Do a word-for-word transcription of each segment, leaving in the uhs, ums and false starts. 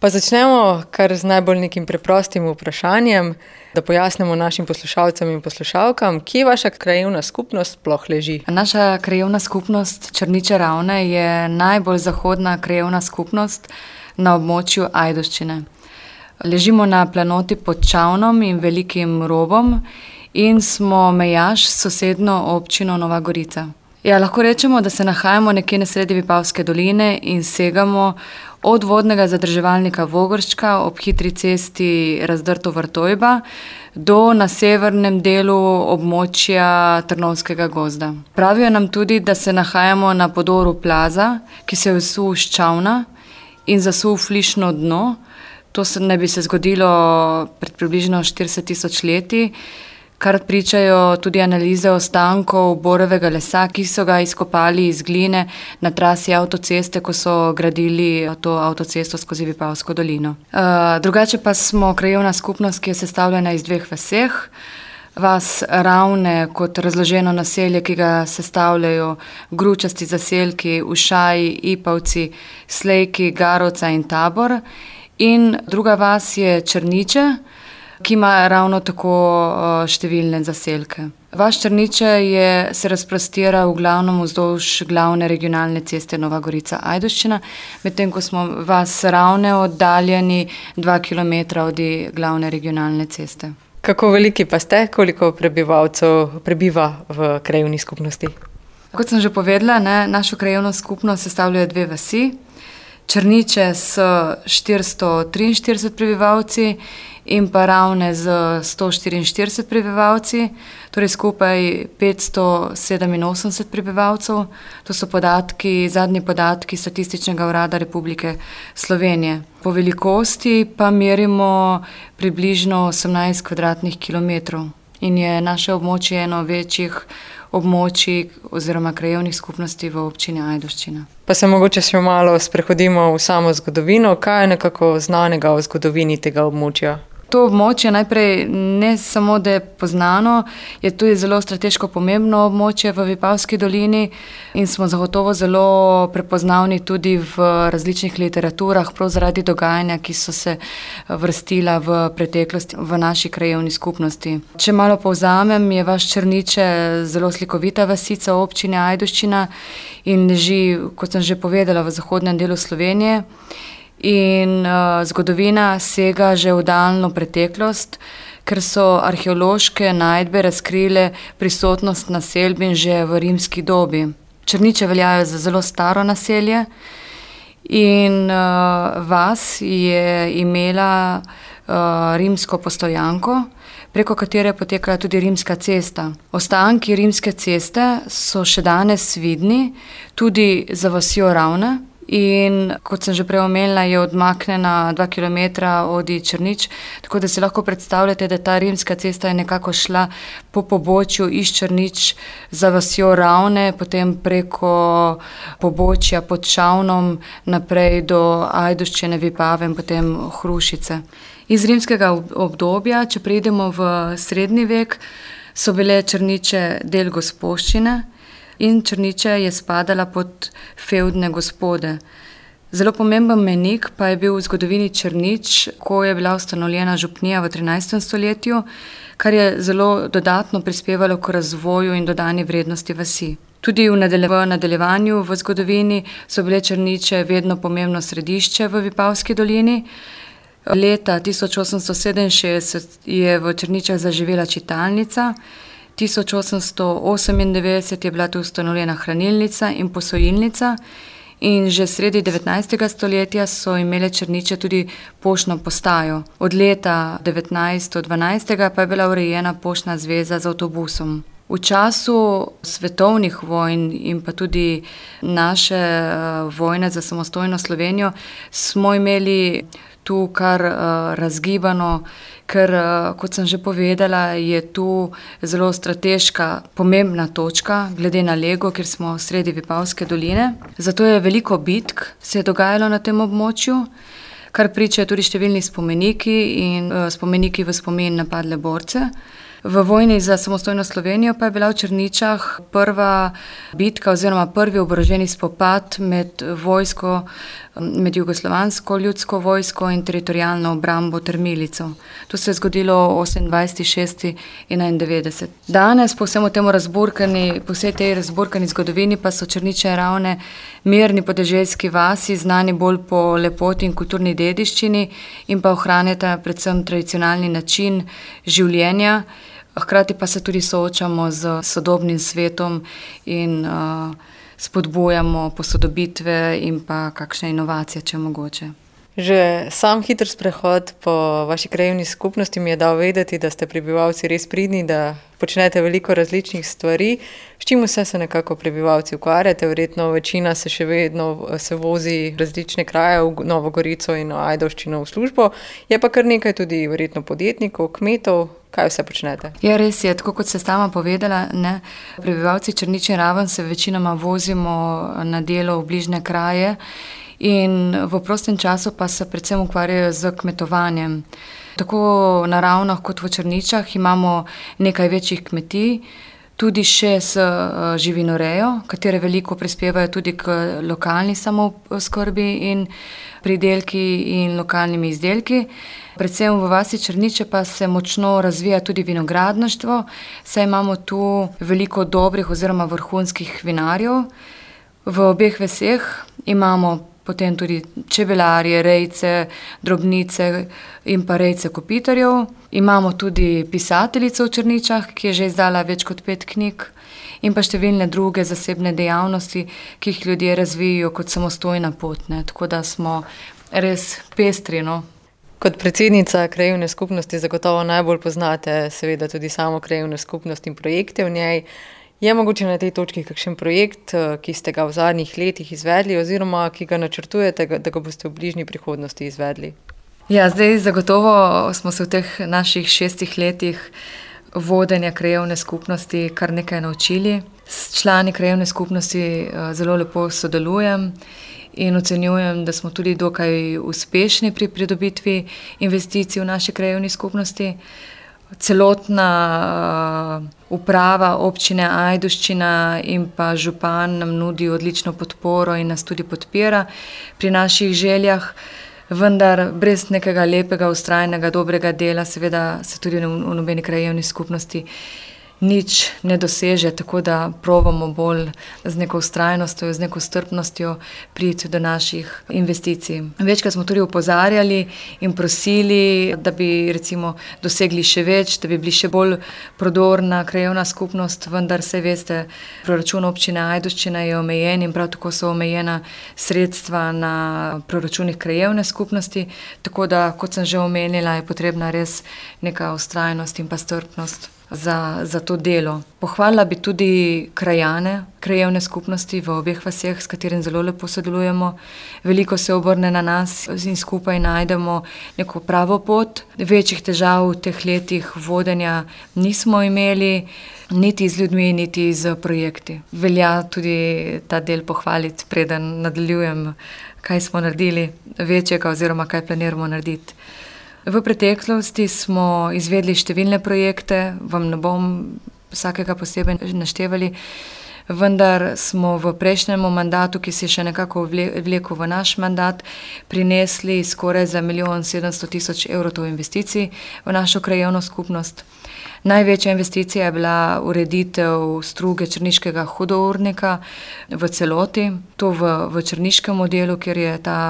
Pa začnemo kar z najbolj nekim preprostim vprašanjem, da pojasnimo našim poslušalcem in poslušalkam, kje vaša krajevna skupnost sploh leži. Naša krajevna skupnost Črniče Ravne je najbolj zahodna krajevna skupnost na območju Ajdovščine. Ležimo na planoti pod Čavnom in Velikim Robom in smo mejaš s sosednjo občino Nova Gorica. Ja, lahko rečemo, da se nahajamo nekje na sredi Vipavske doline in segamo od vodnega zadrževalnika Vogrščka ob hitri cesti Razdrto-Vrtojba do na severnem delu območja Trnovskega gozda. Pravijo nam tudi, da se nahajamo na podoru plaza, ki se je vsul s Čavna in zasul flišno dno. To se ne bi se zgodilo pred približno štirideset tisoč leti, kar pričajo tudi analize ostankov borovega lesa, ki so ga izkopali iz gline na trasi avtoceste, ko so gradili to avtocesto skozi Vipavsko dolino. Uh, drugače pa smo krajevna skupnost, ki je sestavljena iz dveh vaseh. Vas Ravne kot razloženo naselje, ki ga sestavljajo gručasti zaselki, Ušaji, Ipavci, Slejki, Garovca in Tabor. In druga vas je Črniče, ki ima ravno tako številne zaselke. Vas Črniče je, se razprostira v glavnem vzdolž glavne regionalne ceste Nova Gorica-Ajdovščina, medtem ko smo vas Ravne oddaljeni dva kilometra od glavne regionalne ceste. Kako veliki pa ste, koliko prebivalcev prebiva v krajevni skupnosti? Kot sem že povedala, ne, našo krajevno skupnost sestavljajo dve vasi. Črniče s štiristo triinštirideset prebivalci in pa Ravne z sto štiriinštirideset prebivalci, torej skupaj petsto sedeminosemdeset prebivalcev. To so podatki, zadnji podatki Statističnega urada Republike Slovenije. Po velikosti pa merimo približno osemnajst kvadratnih kilometrov in je naše območje eno večjih območij oziroma krajevnih skupnosti v občini Ajdovščina. Pa se mogoče še malo sprehodimo v samo zgodovino. Kaj je nekako znanega o zgodovini tega območja? To območje najprej ne samo, da je poznano, je tudi zelo strateško pomembno območje v Vipavski dolini in smo zagotovo zelo prepoznavni tudi v različnih literaturah, prav zaradi dogajanja, ki so se vrstila v preteklosti v naši krajevni skupnosti. Če malo povzamem, je vaš Črniče zelo slikovita vasica občine Ajdovščina in leži, kot sem že povedala, v zahodnem delu Slovenije. In uh, zgodovina sega že v daljno preteklost, ker so arheološke najdbe razkrile prisotnost naselbin že v rimski dobi. Črniče veljajo za zelo staro naselje in uh, vas je imela uh, rimsko postojanko, preko katere je potekala tudi rimska cesta. Ostanki rimske ceste so še danes vidni, tudi za vasjo Ravne. In kot sem že prej omenila, je odmaknjena dva kilometra od Črnič, tako da si lahko predstavljate, da ta rimska cesta je nekako šla po pobočju iz Črnič za vasjo Ravne, potem preko pobočja pod Čavnom naprej do Ajdovščine, Vipave in potem Hrušice. Iz rimskega obdobja, če preidemo v srednji vek, so bile Črniče del gospoščine in Črniče je spadala pod fevdne gospode. Zelo pomemben mejnik pa je bil v zgodovini Črnič, ko je bila ustanovljena župnija v trinajstem stoletju, kar je zelo dodatno prispevalo k razvoju in dodani vrednosti vasi. Tudi v nadaljevanju v zgodovini so bile Črniče vedno pomembno središče v Vipavski dolini. Leta tisoč osemsto sedeminšestdeset je v Črničah zaživela čitalnica, tisoč osemsto osemindevetdeset je bila tu ustanovljena hranilnica in posojilnica in že sredi devetnajstega stoletja so imele Črniče tudi poštno postajo. Od leta devetnajststo dvanajst pa je bila urejena poštna zveza z avtobusom. V času svetovnih vojn in pa tudi naše vojne za samostojno Slovenijo smo imeli tu kar uh, razgibano, ker, uh, kot sem že povedala, je tu zelo strateška, pomembna točka glede na Lego, ker smo sredi Vipavske doline. Zato je veliko bitk se je dogajalo na tem območju, kar pričajo tudi številni spomeniki in uh, spomeniki v spomin na padle borce. V vojni za samostojno Slovenijo pa je bila v Črničah prva bitka oziroma prvi oboroženi spopad med vojsko med jugoslovansko ljudsko vojsko in teritorijalno obrambo ter milico. To se je zgodilo osemindvajseti šesti enaindevetdeset. Danes po vsemu temu razburkani, po vsej tej razburkani zgodovini pa so Črničeve Ravne mirni podeželski vasi, znani bolj po lepoti in kulturni dediščini in pa ohranjata predvsem tradicionalni način življenja. Hkrati pa se tudi soočamo z sodobnim svetom in uh, spodbujamo posodobitve in pa kakšne inovacije, če mogoče. Že sam hiter sprehod po vaši krajevni skupnosti mi je dal vedeti, da ste prebivalci res pridni, da počnete veliko različnih stvari. S čim vse se nekako prebivalci ukvarjate? Verjetno večina se še vedno se vozi različne kraje v Novo Gorico in Ajdovščino v službo. Je pa kar nekaj tudi verjetno podjetnikov, kmetov. Kaj vse počnete? Ja, res je, tako kot ste sama povedala, ne, prebivalci Črničeve Raven se večinoma vozimo na delo v bližnje kraje in v prostem času pa se predvsem ukvarjajo z kmetovanjem. Tako na Ravnah kot v Črničah imamo nekaj večjih kmetij, tudi še s živinorejo, katere veliko prispevajo tudi k lokalni samooskrbi in pridelki in lokalnimi izdelki. Predvsem v vasi Črniče pa se močno razvija tudi vinogradništvo, saj imamo tu veliko dobrih oziroma vrhunskih vinarjev. V obeh vaseh imamo potem tudi čebelarje, rejce, drobnice in pa rejce kopitarjev. Imamo tudi pisateljico v Črničah, ki je že izdala več kot pet knjig in pa številne druge zasebne dejavnosti, ki jih ljudje razvijajo kot samostojna pot, ne. Tako da smo res pestri, no. Kot predsednica krajevne skupnosti zagotovo najbolj poznate seveda tudi samo krajevno skupnost in projekte v njej. Je mogoče na tej točki kakšen projekt, ki ste ga v zadnjih letih izvedli oziroma ki ga načrtujete, da ga boste v bližnji prihodnosti izvedli? Ja, zdaj zagotovo smo se v teh naših šestih letih vodenja krajevne skupnosti kar nekaj naučili. S člani krajevne skupnosti zelo lepo sodelujem in ocenjujem, da smo tudi dokaj uspešni pri pridobitvi investicij v naši krajevni skupnosti. Celotna uh, uprava občine Ajdovščina in pa župan nam nudi odlično podporo in nas tudi podpira pri naših željah, vendar brez nekega lepega, vztrajnega, dobrega dela seveda se tudi v, v nobeni krajevni skupnosti nič ne doseže, tako da probamo bolj z neko vztrajnostjo, z neko strpnostjo priti do naših investicij. Večkrat smo tudi opozarjali in prosili, da bi recimo dosegli še več, da bi bili še bolj prodorna krajevna skupnost, vendar se veste, proračun občine Ajdovščina je omejen in prav tako so omejena sredstva na proračunih krajevne skupnosti, tako da, kot sem že omenila, je potrebna res neka vztrajnost in pa strpnost Za, za to delo. Pohvalila bi tudi krajane, krajevne skupnosti v obeh vaseh, s katerim zelo lepo sodelujemo. Veliko se obrne na nas in skupaj najdemo neko pravo pot. Večjih težav v teh letih vodenja nismo imeli, niti z ljudmi, niti z projekti. Velja tudi ta del pohvaliti, preden nadaljujem, kaj smo naredili večjega oziroma kaj planiramo narediti. V preteklosti smo izvedli številne projekte, vam ne bom vsakega posebej naštevali, vendar smo v prejšnjem mandatu, ki se je še nekako vlekel v naš mandat, prinesli skoraj za milijon sedemsto tisoč evrov investicij v našo krajevno skupnost. Največja investicija je bila ureditev struge črniškega hudournika v celoti, to v, v črniškem modelu, kjer je ta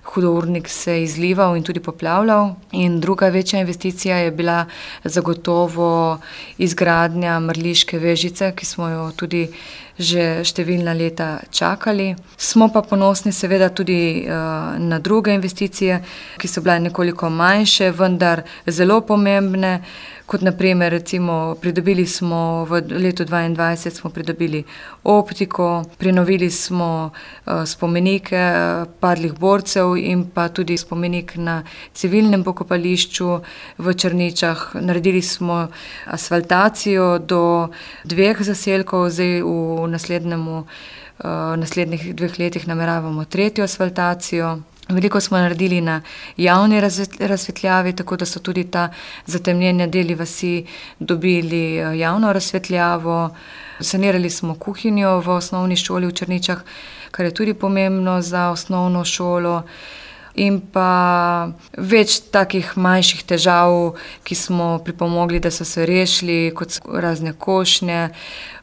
hudournik se izlival in tudi poplavljal. In druga večja investicija je bila zagotovo izgradnja mrliške vežice, ki smo jo tudi že številna leta čakali. Smo pa ponosni seveda tudi uh, na druge investicije, ki so bile nekoliko manjše, vendar zelo pomembne. Kot naprimer, recimo, pridobili smo v letu dvaindvajset smo pridobili optiko, prenovili smo uh, spomenike uh, padlih borcev in pa tudi spomenik na civilnem pokopališču v Črničah. Naredili smo asfaltacijo do dveh zaselkov, zdaj v naslednjemu, uh, naslednjih dveh letih nameravamo tretjo asfaltacijo. Veliko smo naredili na javni razsvetljavi, tako da so tudi ta zatemnjeni deli vasi dobili javno razsvetljavo. Sanirali smo kuhinjo v osnovni šoli v Črničah, kar je tudi pomembno za osnovno šolo. In pa več takih manjših težav, ki smo pripomogli, da so se rešili, kot razne košnje.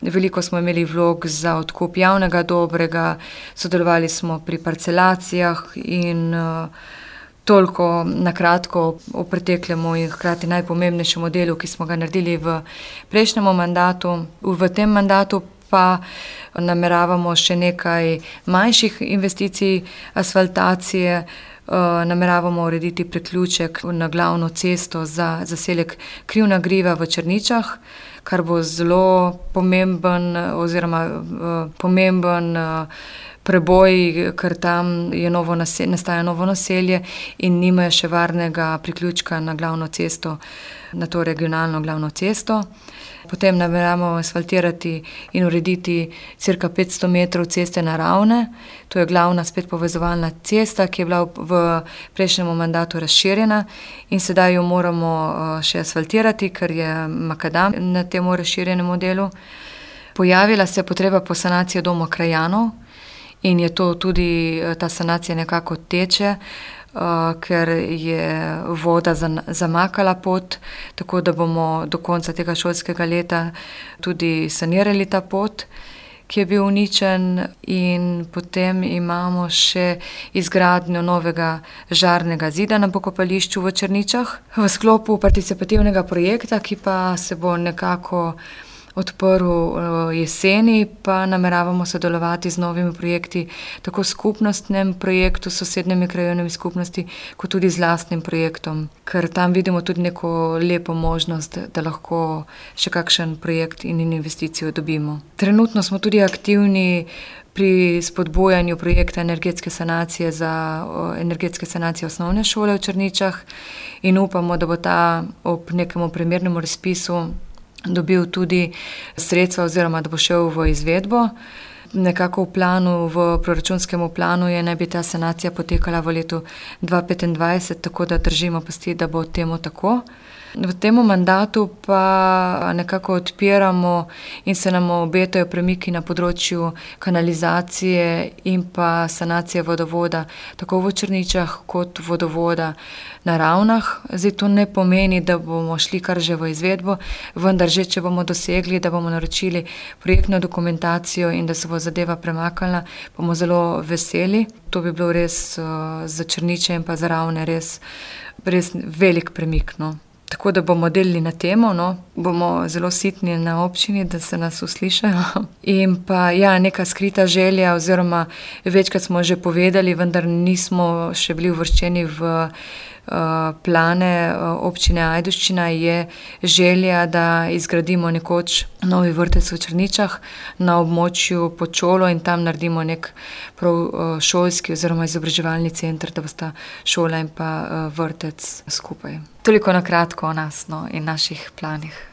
Veliko smo imeli vlog za odkup javnega dobrega, sodelovali smo pri parcelacijah in toliko na kratko o preteklemu in hkrati najpomembnejšem delu, ki smo ga naredili v prejšnjem mandatu. V tem mandatu pa nameravamo še nekaj manjših investicij asfaltacije. Nameravamo urediti priključek na glavno cesto za zaselek Krivna griva v Črničah, kar bo zelo pomemben oziroma pomemben preboj, ker tam je novo naselje, nastaja novo naselje in nimajo še varnega priključka na glavno cesto, na to regionalno glavno cesto. Potem nameravamo asfaltirati in urediti cirka petsto metrov ceste naravne. To je glavna spet povezovalna cesta, ki je bila v prejšnjem mandatu razširjena in sedaj jo moramo še asfaltirati, ker je makadam na tem razširjenem delu. Pojavila se je potreba po sanaciji doma krajanov in je to tudi, ta sanacija nekako teče, Uh, ker je voda zamakala pot, tako da bomo do konca tega šolskega leta tudi sanirali ta pot, ki je bil uničen, in potem imamo še izgradnjo novega žarnega zida na pokopališču v Črničah. V sklopu participativnega projekta, ki pa se bo nekako odprl jeseni, pa nameravamo sodelovati z novimi projekti, tako skupnostnem projektu s sosednjimi krajevnimi skupnosti, kot tudi z lastnim projektom, ker tam vidimo tudi neko lepo možnost, da lahko še kakšen projekt in investicijo dobimo. Trenutno smo tudi aktivni pri spodbujanju projekta energetske sanacije za energetske sanacije osnovne šole v Črničah in upamo, da bo ta ob nekemu primernemu razpisu dobil tudi sredstva oziroma da bo šel v izvedbo. Nekako v planu, v proračunskem planu je naj bi ta sanacija potekala v letu dva petindvajset, tako da držimo pesti, da bo temu tako. V tem mandatu pa nekako odpiramo in se nam obetajo premiki na področju kanalizacije in pa sanacije vodovoda, tako v Črničah kot vodovoda na Ravnah. Zdaj to ne pomeni, da bomo šli kar že v izvedbo, vendar že, če bomo dosegli, da bomo naročili projektno dokumentacijo in da se bo zadeva premaknila, bomo zelo veseli. To bi bilo res za Črniče in pa za Ravne res, res velik premik, no. Tako da bomo delili na temo, no, bomo zelo sitni na občini, da se nas uslišajo. In pa ja, neka skrita želja oziroma večkrat smo že povedali, vendar nismo še bili uvrščeni v plane občine Ajdovščina, je želja, da izgradimo nekoč novi vrtec v Črničah na območju pod šolo in tam naredimo nek prav šolski oziroma izobraževalni center, da bosta šola in pa vrtec skupaj. Toliko na kratko o nas, no, in naših planih.